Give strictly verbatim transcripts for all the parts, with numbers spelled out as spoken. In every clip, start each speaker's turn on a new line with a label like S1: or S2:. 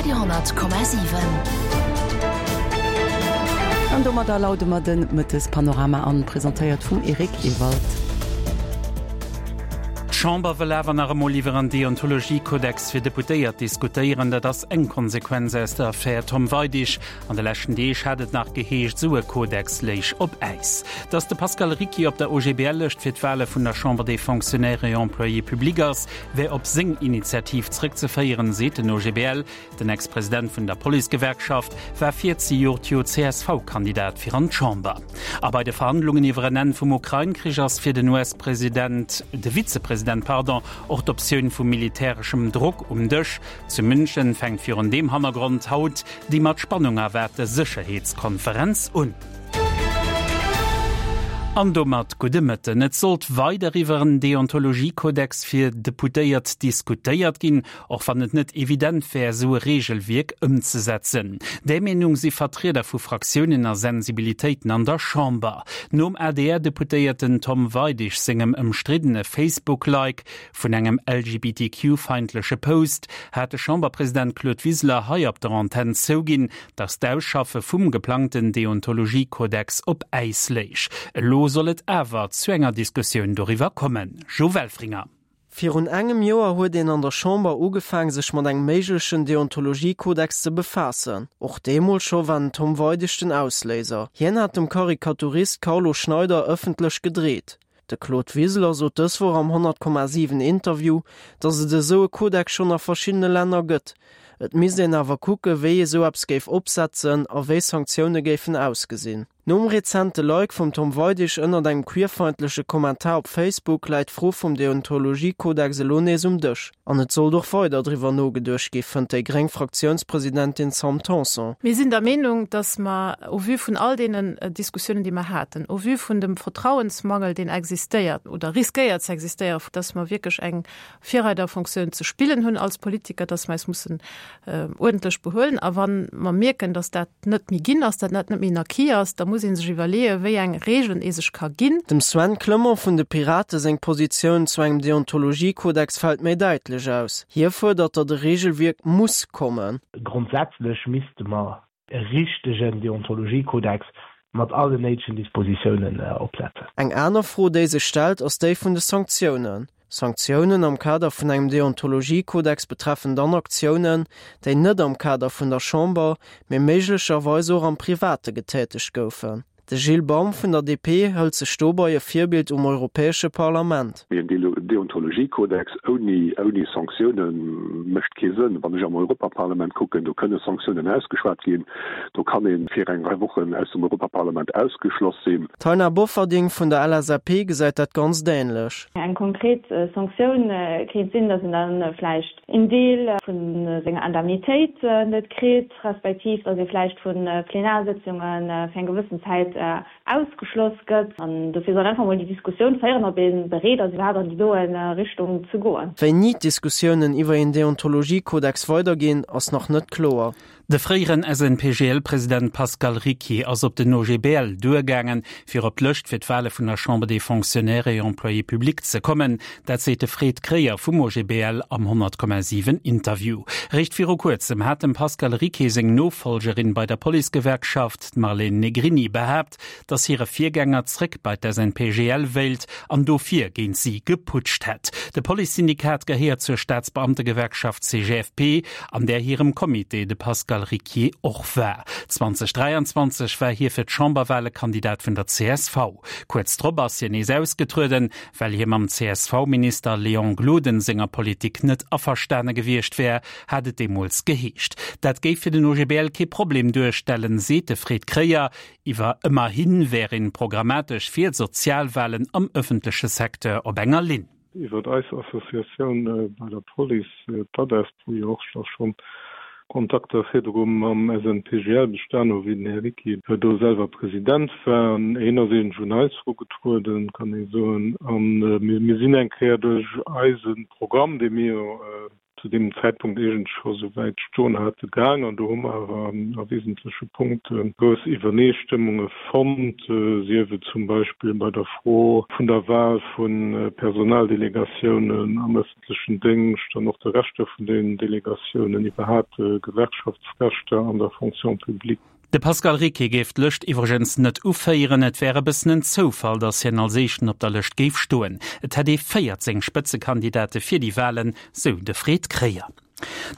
S1: Radio honnert Komma siwen.
S2: An domadder laude mer de Mëttespanorama an, presentéiert vum Eric Ewald.
S3: D'Chamber wëll awer nach emol iwwer en Deontologiekodex fir Deputéiert diskutéieren. Dat ass eng Konsequenz aus der Affär Tom Weidig. An de leschten Deeg hat et nach geheescht, esou e Kodex léich op Äis. Datt de Pascal Ricquier op der OGBL-Lëscht fir d'Wale vun der Chambre des Fonctionnaires et Employés publics ass, wär op seng Initiativ zréckzeféieren, seet den O G B L. Den Ex-President vun der Policegewerkschaft war virzejoert jo C S V-Kandidat fir an d'Chamber. A bei de Verhandlungen iwwer en Enn vum Ukrain-Krich ass fir den U S-President, de Vizepresident, pardon, och d'Optioun vu militäreschem Drock um Dësch. Zu München fänkt virun deem Hannergrond haut déi mat Spannung erwaarte Sécherheetskonferenz un. An domat gudde Mëtten. Et sollt weider iwwer en Deontologiekodex fir Deputéiert diskutéiert ginn, och wann et net evident wär, esou e Reegelwierk ëmzesetzen. Där Meenung si Vertrieder vu Fraktiounen a Sensibilitéiten an der Chamber. Nom A D R-Deputéierten Tom Weidig sengem ëmstriddene Facebook-Like vun engem L G B T Q-feindleche Post hat de Chamberpresident Claude Wiseler hei op der Antenn zouginn, datt d'Ausschaffe vum geplangten Deontologiekodex op Äis léich. Elo soll et awer zu enger Diskussioun doriwwer kommen. Jo Welfringer.
S4: Virun engem Joer huet een an der Chamber ugefaangen, sech mat engem méiglechen Deontologiekodex ze befaassen. Och deemools scho war den Tom Weidig den Ausléiser. Hien hat dem Karikaturist Carlo Schneider ëffentlech gedreet. De Claude Wiseler sot dës Woch am honnert Komma siwen Interview, datt et esou e Kodex schonn a verschiddene Länner gëtt. Et misst een awer kucke wéi ee sou eppes géif opsetzen a wéi Sanktioune géifen ausgesinn. Nom rezente Like vum Tom Weidig ënnert engem queerfeindleche Kommentar op Facebook läit d'Fro vum Deontologiekodex elo nees um Dësch. An et sollt och weider driwwer nogeduecht gi fënnt déi gréng Fraktiounspresidentin Sam Tanson.
S5: Mir sinn der Meenung, dass mer au vu vun all deenen äh, Diskussiounen, déi mer haten, au vu vun dem Vertrauensmangel, deen existéiert oder riskéiert ze existéieren, dass mer wierklech eng Virreiderfunktioun ze spillen hunn als Politiker, dass mer eis mussen äh, uerdentlech behuelen. A wann mer mierken, dass dat net méi ginn ass, dat net méi en Acquis ass, da muss ee sech iwwerleeën, wéi eng Regeln ee sech ka ginn.
S4: Dem Sven Clement vun de Pirate seng Positioun zu engem Deontologiekodex fält méi däitlech aus. Hie fuerdert, datt e Reegelwierk muss kommen.
S6: Grondsätzlech misste mer e richtegen Deontologiekodex mat allen néidegen Dispositiounen äh, opsetzen.
S4: Eng aner Fro, déi sech stellt, ass déi vun de Sanktiounen. Sanktiounen am Kader vun engem Deontologiekodex betreffen dann Aktiounen, déi net am Kader vun der Chamber, mee méiglecherweis och am Private getätegt goufen. De Gilles Baum vun der D P hëlt sech dobäi e Virbild um Europäesche Parlament.
S7: En Deontologiekodex ouni ouni Sanktioune mécht kee Sënn. Wann ech am Europaparlament kucken, do kënne Sanktiounen ausgeschwat ginn, do kann ee fir eng Rei Wochen aus dem Europaparlament ausgeschloss sinn.
S4: D'Taina Bofferding vun der L S A P gesäit dat ganz änlech.
S8: Eng konkret äh, Sanktioun äh, kéint sinn, datt een dann äh, vläicht en Deel vun senger Indemnitéit net kritt, respektiv datt ee vläicht vu Plenarsëtzunge fir eng gewëssen Zäit ausgeschloss gëtt. An dofir soll einfach mol déi Diskussioun féieren, ob ee bereet ass, iwwerhaapt an déi doen Richtung ze goen.
S4: Wéini d'Diskussiounen iwwer en Deontologiekodex weiderginn, ass nach net kloer.
S3: De fréieren S N P G L-President Pascal Ricquier ass op den O G B L duergaangen, fir op d'Lëscht fir d'Wale vun der Chambre des Fonctionnaires et Employés publics ze kommen. Dat seet de Fred Kreyer vum O G B L am honnert Komma siwen Interview. Réischt viru kuerzem hat dem Pascal Ricquier seng Nofollgerin bei der Policegewerkschaft Marlene Negrini behaapt, datt hire Virgänger zréck bei d'S N P G L wéilt an dofir géint si geputscht hätt. De Policesyndikat gehéiert zur Staatsbeamtegewerkschaft C G F P, an där hirem Comité de Pascal Ricquier och war. zweedausendräianzwanzeg war hie fir d'Chamberwale Kandidat vun der C S V. Kuerz drop ass hien nees ausgetrueden, well hie mam C S V-Minister Léon Gloden senger Politik net averstane gewiescht wär, hat et deemools geheescht. Dat géif fir den O G B L kee Problem duerstellen, seet de Fred Kreyer, iwwer ëmmerhi wär ee programmatesch fir Sozialwalen am ëffentleche Secteur op enger Linn.
S9: Iwwer eis Associatioun äh, bei der Police äh, d'ADESP, wou jo och schonn Kontakter virdru mam S N P G L bestan hu wéi den Här Ricquier do selwer President war. An hien ass eben un eis erugetrueden, kann ee soen. An äh, mir, mir sinn eng Kéier duerch eise Programm, dee mir äh, zu deem Zäitpunkt eegentlech scho souwäit stoen hate, gaang. An do hu mer awer a wesentleche Punkte grouss Iwwerneestëmmunge fonnt, sief et zum Beispill bei der Fro vun der Wahl vu Personaldelegatiounen am öffentlechen Déngscht an och de Rechter vun deenen Delegatiounen, iwwerhaapt Gewerkschaftsrechter an der Fonction publique.
S3: De Pascal Ricquier géif d'Lëscht iwwregens net uféieren. Et wär e bëssen en Zoufall, datt hien als éischten op der Lëscht géif stoen. Et hätt ee véierzéng Spëtzekandidate fir déi Walen, sou de Fred Kreyer.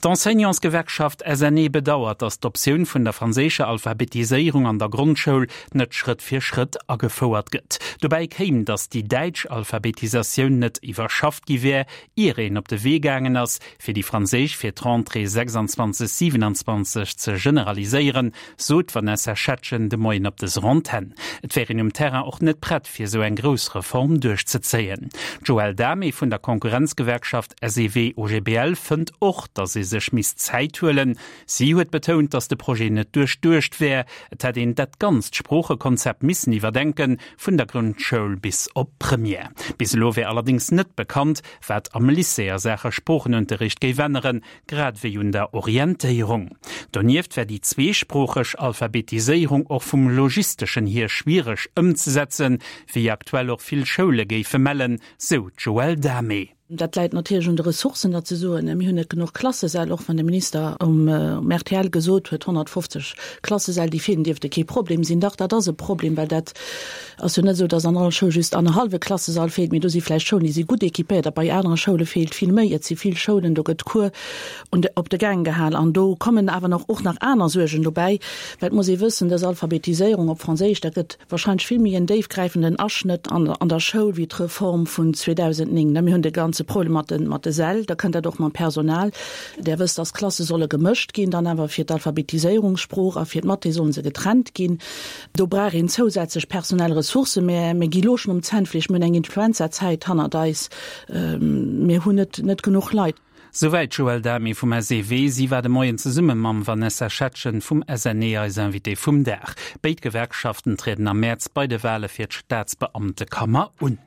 S3: D'Enseignantsgewerkschaft S N E bedauert, datt d'Optioun vun der franséischer Alphabetiséierung an der Grondschoul net Schrëtt fir Schrëtt agefouert gëtt. Dobäi kéim, datt déi däitsch Alphabetisatioun net iwwerschafft gi wär, ier een op de Wee gaangen ass, fir déi franséisch fir d'Rentrée sechsundzwanzeg siewenundzwanzeg ze generaliséieren, sot d'Vanessa Schetgen de Moien op dëser Antenn. Et wär een um Terrain och net prett, fir esou eng grouss Reform duerchzezéien. D'Joëlle Damé vun der Konkurrenzgewerkschaft S E W O G B L fënnt och, datt ee sech misst Zäit huelen. Si huet betount, datt de Projet net duerchduecht wär. Et hätt een dat ganzt Sproochekonzept missen iwwerdenken, vun der Grondschoul bis op d'Première. Bis elo wär allerdéngs net bekannt, wat am Lycée a Saache Sproochenunterricht géif änneren, grad wéi un der Orientéierung. Donieft wär déi zweesproocheg Alphabetiséierung och vum logisteschen hier schwiereg ëmzesetzen, wéi aktuell och vill Schoule géife mellen, sou d'Joëlle Damé.
S1: Dat läit natierlech un de Ressourcen, datt se soen, mir hunn net genuch Klassesäll, och wann de Minister um R T L gesot huet, honnertfofzeg Klassesäll, déi feelen, dierfte kee Problem sinn. Dach, dat ass e Problem, well dat ass jo net esou, datt an all Schoul just annerhallwe Klassesall feelt, mee do si vläicht Schoulen, déi si gutt équipéiert a bei anere Schoule feelt vill méi. Et si vill Schoulen, do gëtt Cours un de, op de Gäng gehal an do kommen awer nach och nach aner Suergen dobäi, well et muss ee wëssen, dës Alphabetiséierung op Franséisch, dat gëtt wahrscheinlech vill méi en déifgräifenden Aschnëtt an an der Schoul wéi d'Reform vun zweedausendnéng. Mir hunn de ganze Problem mat den mat de Säll, da kënnt dat och mam Personal. Der wësst, dass d'Klasse solle gemëscht ginn, dann awer fir d'Alphabetiséierungssprooch a fir d'Mathé solle se getrennt ginn. Do brauch een zousätzlech personell Ressourcen. Mir mir gi lo schonn um Zännfleesch, mir hunn eng Influenzazäit hannert eis, mir hunn net net genuch Leit.
S3: Souwäit d'Joëlle Damé vum S E W. Si war de Moien zesumme mam Vanessa Schetgen vum S N E eis Invitée vum Dag. Béid Gewerkschaften trieden am Mäerz bei de Wale fir d'Staatsbeamtekammer un.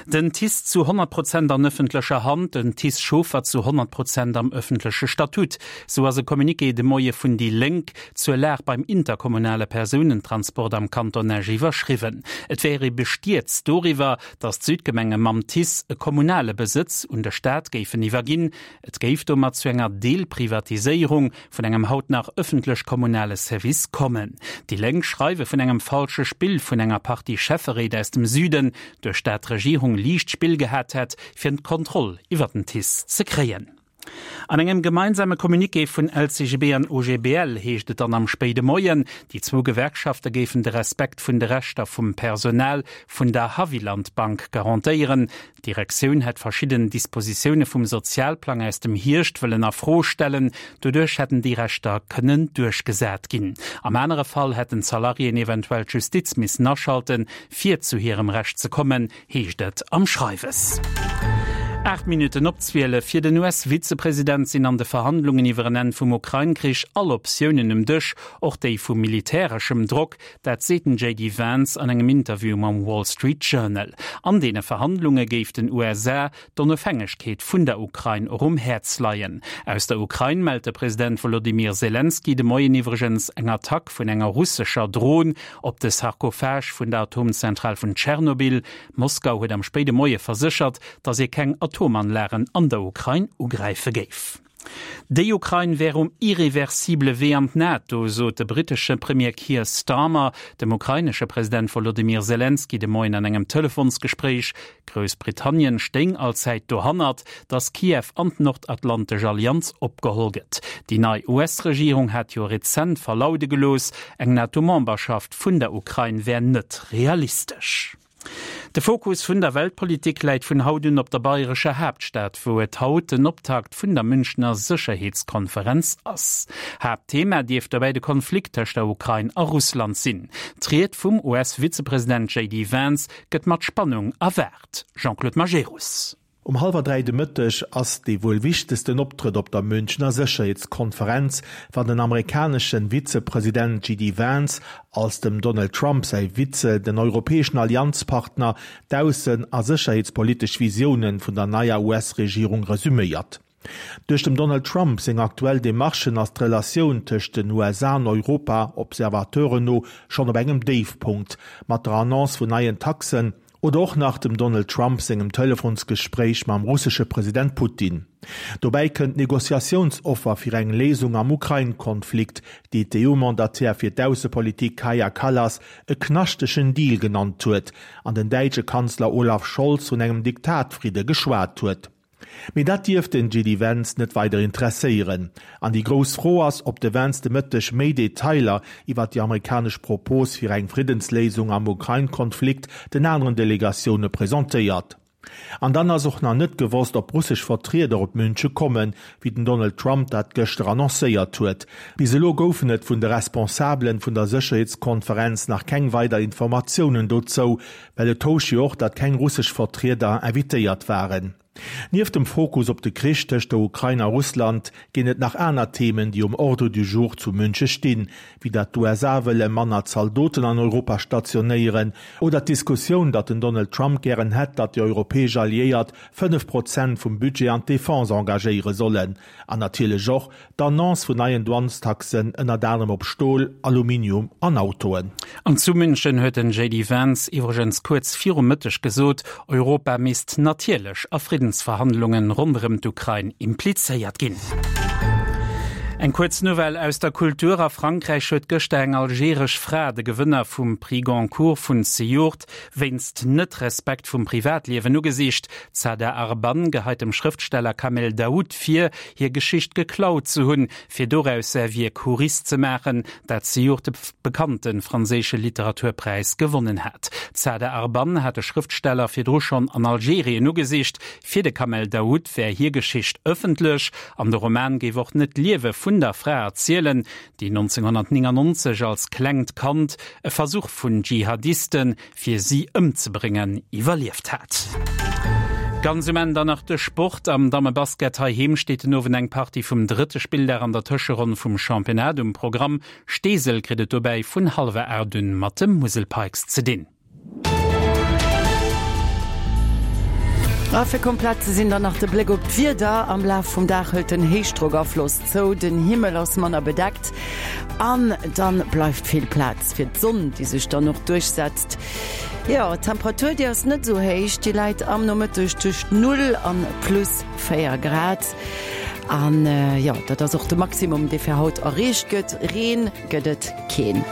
S3: Den T I C E zu honnert Prozent an ëffentlecher Hand, den T I C E-Chauffer zu honnert Prozent am ëffentleche Statut. Sou ass e Communiqué de Moie vun déi Lénk zur Lag beim interkommunale Persounentransport am Kanton Esch iwwerschriwwen. Et wär ee bestierzt doriwwer, datt d'Südgemenge mam T I C E e kommunale Besëtz un de Staat géifen iwwerginn. Et géif domat zu enger Deelprivatiséierung vun engem haut nach ëffentlech-kommunale Service kommen. Déi Lénk schreiwe vun engem falsche Spill vun enger Partie Schäfferéit aus dem Süden, duerch dat d'Regierung liicht Spill gehat hätt, fir d'Kontroll iwwer den T I C E ze kréien. An engem gemeinsame Communiqué vun L C G B an O G B L heescht et dann am spéide Moien, déi zwou Gewerkschafte géifen de Respekt vun de Rechter vum Personal vun der Haviland Bank garantéieren. D'Direktioun hätt verschidden Dispositioune vum Sozialplang aus dem Hierscht wëllen a Fro stellen, doduerch hätten déi Rechter kënnen duerchgesat ginn. Am anere Fall hätten d'Salariéen eventuell d'Justiz missen aschalten, fir zu hirem Recht ze kommen, heescht et am Schreiwes. Aacht Minutten op zwielef. Fir den U S-Vizepresident sinn an de Verhandlungen iwwer en Enn vum Ukrain-Krich all Optiounen um Dësch, och déi vu militäreschem Drock. Dat seet den J D Vance an engem Interview mam Wall Street Journal. An deene Verhandlunge géif den U S A d'Onofhängegkeet vun der Ukrain och um Häerz leien. Aus der Ukrain mellt de President Wolodymyr Selenskyj de Moien iwwregens eng Attack vun enger russescher Dron op de Sarkophag vun der Atomzentral vun Tschernobyl. Moskau huet am spéide Moie verséchert, datt ee keng Atomanlagen an der Ukrain ugräife géif. Déi Ukrain wär um irreversible Wee an d'NATO, sot de brittesche Premier Keir Starmer dem ukrainesche President Wolodymyr Selenskyj de Moien an engem Telefonsgespréich. Groussbritannien stéing allzäit dohannert, datt Kiew an d'Nordatlantesch Allianz opgeholl gëtt. Déi nei U S-Regierung hat jo rezent verlaude gelooss, eng NATO-Memberschaft vun der Ukrain wär net realistesch. De Fokus vun der Weltpolitik läit vun haut un op der bayrescher Haaptstad, wou et haut den Optakt vun der Münchner Sécherheetskonferenz ass. Haaptthema dierft dobäi de Konflikt tëscht der Ukrain a Russland sinn. D'Ried vum U S-Vizepresident J D Vance gëtt mat Spannung erwaart. Jean-Claude Majerus.
S10: Um hallwer dräi de Mëtteg ass dee wuel wichtegsten Optrëtt op der Münchner Sécherheetskonferenz, wann den amerikanesche Vizepresident J D Vance als dem Donald Trump säi Vize den europäeschen Allianzpartner d'aussen a sécherheetspolitesch Visioune vun der neier U S-Regierung resuméiert. Duerch dem Donald Trump seng aktuell Demarchen ass d'Relatioun tëscht den U S A an Europa Observateuren no schonn op engem Déifpunkt, mat der Annonce vun neien Taxen oder och nach dem Donald Trump sengem Telefonsgespréich mam russesche President Putin. Dobäi kënnt d'Negociatiounsoffer fir eng Léisung am Ukrain-Konflikt, déi d'E U-Mandataire fir d'Aussepolitik Kaja Kallas e knaschtegen Deal genannt huet an den däitsche Kanzler Olaf Scholz vun engem Diktatfridde geschwat huet. Mee dat dierft den J D Vance net weider interesséieren. An déi grouss Fro ass, ob de Vance de Mëtteg méi Detailer iwwer déi amerikanesch Propos fir eng Friddensléisung am Ukrain-Konflikt den aneren Delegatioune presentéiert. An dann ass och nach net gewosst, ob russesch Vertrieder op Münche kommen, wéi den Donald Trump dat gëschter annoncéiert huet. Bis elo goufen et vun de Responsabelen vun der Sécherheetskonferenz nach keng weider Informatiounen dozou, well et housch jo och, datt keng russesch Vertrieder invitéiert waren. Nieft dem Fokus op de Krich tëscht der Ukrain a Russland ginn et nach aner Themen, déi um Ordre du jour zu Münche stinn, wéi datt d'U S A wëlle manner Zaldoten an Europa stationéieren oder d'Diskussioun, datt den Donald Trump gären hätt, datt déi europäesch Alliéiert fënnef Prozent vum Budget an d'Defense engagéiere sollen. An natierlech och d'Annonce vun neien Douanestaxen ënnert anerem op Stol, Aluminium an Autoen.
S3: An zu München huet den J D Vance iwwregens kuerz virum Mëtteg gesot, Europa misst natierlech a Friddensverhandlungen ronderëm d'Ukrain implizéiert ginn. Eng kuerz Nouvelle aus der Kultur. A Frankräich huet gëschter eng algeresch Fra de Gewënner vum Prix Goncourt vun Sejourt wéinst Net-Respekt vum Privatliewen ugesicht. D'Sada Arban geheit dem Schrëftsteller Kamel Daoud vir, hir Geschicht geklaut ze hunn, fir doraus säi Wierk Houris ze maachen, dat Sejourt de bekannte franséische Literaturpräis gewonnen hat. D'Sada Arban hat de Schrëftsteller virdru schonn an Algerien ugesicht. Fir de Kamel Daoud wär hir Geschicht ëffentlech an de Roman géif och net d'Liewe vun der Fra erzielen, déi neunzehnhundertneunundneunzeg als klengt Kand e Versuch vun Dschihadisten fir si ëmzebréngen iwwerlieft hat. Ganz um Enn dann nach de Sport. Am Dammebasket heiheem steet den Owend eng Partie vum drëtte Spilldag an der Tëscheronn vum Championnat um Programm. Steesel kritt et dobäi vun hallwer aacht un mat dem Musel Pikes ze dinn.
S2: A fir komplett ze sinn dann nach de Bléck op d'Wieder. Am Laf vum Dag hëlt den Héichdrockafloss zou, den Himmel ass manner bedeckt an dann bleift vill Plaz fir d'Sonn, déi sech dann och duerchsetzt. Jo, d'Temperatur déi ass net sou héich, déi läit am Nomëtteg tëscht null an plus véier Grad. An jo, dat ass och de Maximum, dee fir haut erreecht gëtt. Reen gëtt et keen.